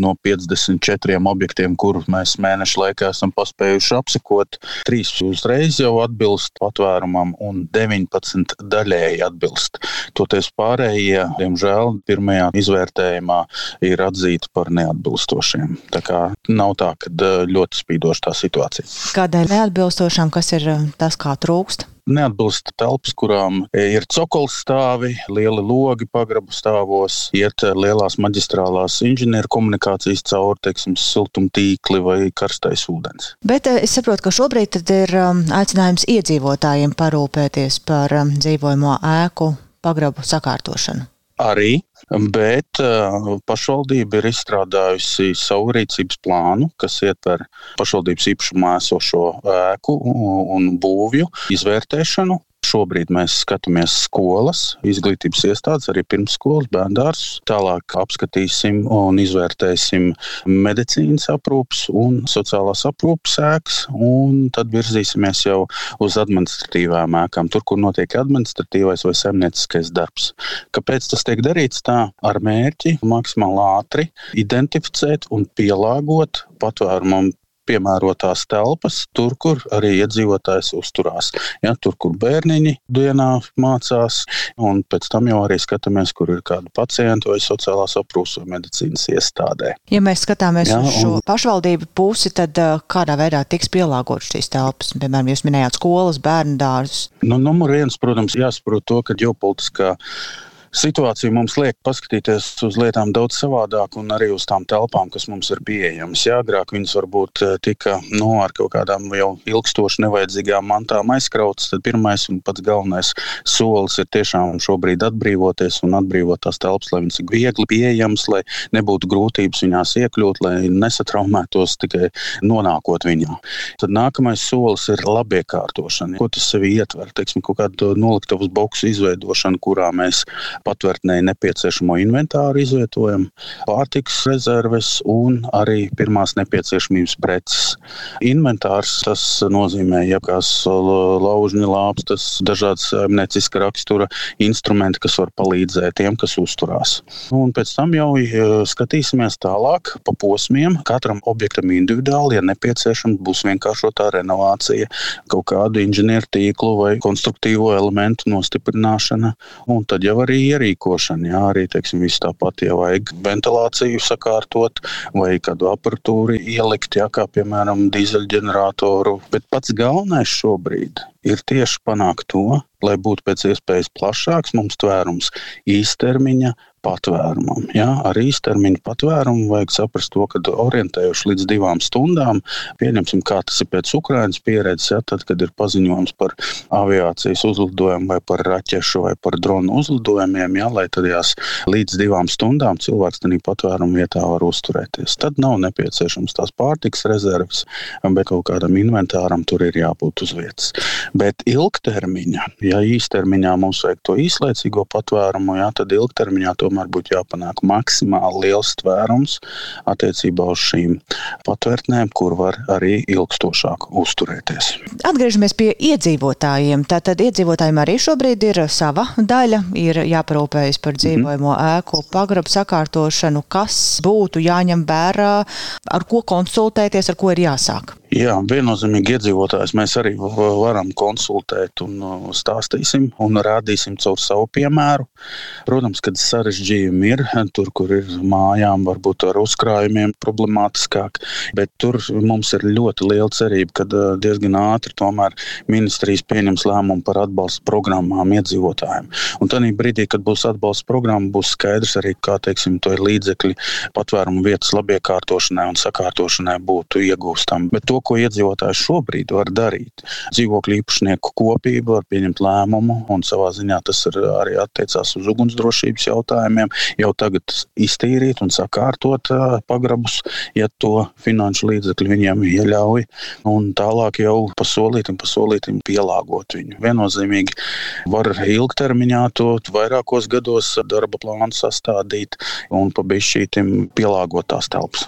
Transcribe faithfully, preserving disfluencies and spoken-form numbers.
no piecdesmit četriem objektiem, kurus mēs mēnešu laikā esam paspējuši apsekot, trīs uzreiz jau atbilst patvērumam un deviņpadsmit daļēji atbilst. Toties pārējie, diemžēl, pirmajā izvērtējumā ir atzīti par neatbilstošiem. Tā kā nav tā, ka ļoti spīdoša tā situācija. Kādēļ neatbilstošām, kas ir tas, kā trūkst? Neatbilst telpas, kurām ir cokolstāvi, lieli logi pagrabu stāvos, iet lielās maģistrālās inženieru komunikācijas cauri, teiksim, siltumtīkli vai karstais ūdens. Bet es saprotu, ka šobrīd tad ir aicinājums iedzīvotājiem parūpēties par dzīvojamo ēku pagrabu sakārtošanu. Arī, bet pašvaldība ir izstrādājusi savu rīcības plānu, kas ietver pašvaldības īpašumā esošo ēku un būvju izvērtēšanu. Šobrīd mēs skatāmies skolas, izglītības iestādes, arī pirmsskolas, bērndārzus. Tālāk apskatīsim un izvērtēsim medicīnas aprūpes un sociālās aprūpes ēkas, un tad virzīsimies jau uz administratīvām ēkām, tur, kur notiek administratīvais vai saimnieciskais darbs. Kāpēc tas tiek darīts tā? Ar mērķi maksimāli ātri identificēt un pielāgot patvērumam piemērotās telpas, tur, kur arī iedzīvotājs uzturās. Ja, tur, kur bērniņi dienā mācās, un pēc tam jau arī skatāmies, kur ir kādi pacienti vai sociālās aprūpes vai medicīnas iestādē. Ja mēs skatāmies ja, uz šo un... pašvaldību pusi, tad kādā veidā tiks pielāgotas šīs telpas? Piemēram, jūs minējāt skolas, bērndārzus. Nu, numur viens, protams, jāsaprot to, ka ģeopolitiskā situācija mums liek paskatīties uz lietām daudz savādāk un arī uz tām telpām, kas mums ir pieejamas. Jā, agrāk viņas varbūt tika no, ar kaut kādām jau ilgstoši nevajadzīgām mantām aizkrautas, tad pirmais un pats galvenais solis ir tiešām šobrīd atbrīvoties un atbrīvot tās telpas, lai viņas ir viegli pieejamas, lai nebūtu grūtības viņās iekļūt, lai nesatraumētos tikai nonākot viņā. Tad nākamais solis ir labiekārtošana. Ko tas sevi ietver? Teiksim, kaut kādu noliktavas boksu izveidošanu, kurā mēs patvērtnēji nepieciešamo inventāru izvietojam, pārtikas rezerves un arī pirmās nepieciešamības preces. Inventārs, tas nozīmē jebkās laužņa lāpstas, dažādas saimnieciska rakstura instrumenti, kas var palīdzēt tiem, kas uzturās. Un pēc tam jau skatīsimies tālāk pa posmiem, katram objektam individuāli, ja nepieciešams, būs vienkāršotā renovācija, kaut kādu inženieru tīklu vai konstruktīvo elementu nostiprināšana, un tad jau arī ierīkošana, jā, arī, teiksim, viss tāpat, ja vajag ventilāciju sakārtot vai kādu aparatūru ielikt, jā, kā, piemēram, dīzeļģeneratoru. Bet pats galvenais šobrīd ir tieši panākt to, lai būtu pēc iespējas plašāks mums tvērums īstermiņa patvērumam. Ja? Ar īstermiņa patvērumu vajag saprast to, ka orientējuši līdz divām stundām, pieņemsim, kā tas ir pēc Ukrainas pieredzes, ja? Tad, kad ir paziņojums par aviācijas uzlidojumu vai par raķešu vai par dronu uzlidojumiem, ja? Lai tad jās līdz divām stundām cilvēks tādā patvērumu vietā var uzturēties. Tad nav nepieciešams tās pārtikas rezerves, bet kaut kādam inventāram tur ir jābūt uz vietas. Bet ilgtermiņā, ja īstermiņā mums vajag to īslaicīgo patvērumu, ja? Tad ilgtermiņā tomēr būtu jāpanāk maksimāli liels tvērums attiecībā uz šīm patvērtnēm, kur var arī ilgstošāk uzturēties. Atgriežamies pie iedzīvotājiem. Tātad iedzīvotājiem arī šobrīd ir sava daļa, ir jāparūpējas par dzīvojamo mm-hmm. ēku, pagrabu sakārtošanu, kas būtu jāņem vērā, ar ko konsultēties, ar ko ir jāsāk. Jā, viennozīmīgi iedzīvotājs mēs arī varam konsultēt un stāstīsim un rādīsim caur savu piemēru. Protams, kad sarežģījumi ir, tur, kur ir mājām, varbūt ar uzkrājumiem problemātiskāk, bet tur mums ir ļoti liela cerība, kad diezgan ātri tomēr ministrijas pieņems lēmumu par atbalsta programmām iedzīvotājiem. Un tādā brīdī, kad būs atbalsta programma, būs skaidrs arī, kā, teiksim, to ir līdzekļi patvērumu vietas labiekārtošanai un sakārtošanai būtu iegūstami. Bet to, ko iedzīvotājs šobrīd var darīt. Dzīvokļu īpašnieku kopība var pieņemt lēmumu, un savā ziņā tas ir arī attiecās uz ugunsdrošības jautājumiem, jau tagad iztīrīt un sakārtot pagrabus, ja to finanšu līdzekļi viņiem ieļauj, un tālāk jau pasolītim, pasolītim pielāgot viņu. Viennozīmīgi var ilgtermiņā to vairākos gados darba plānu sastādīt un pa bišķītim pielāgot tās telpas.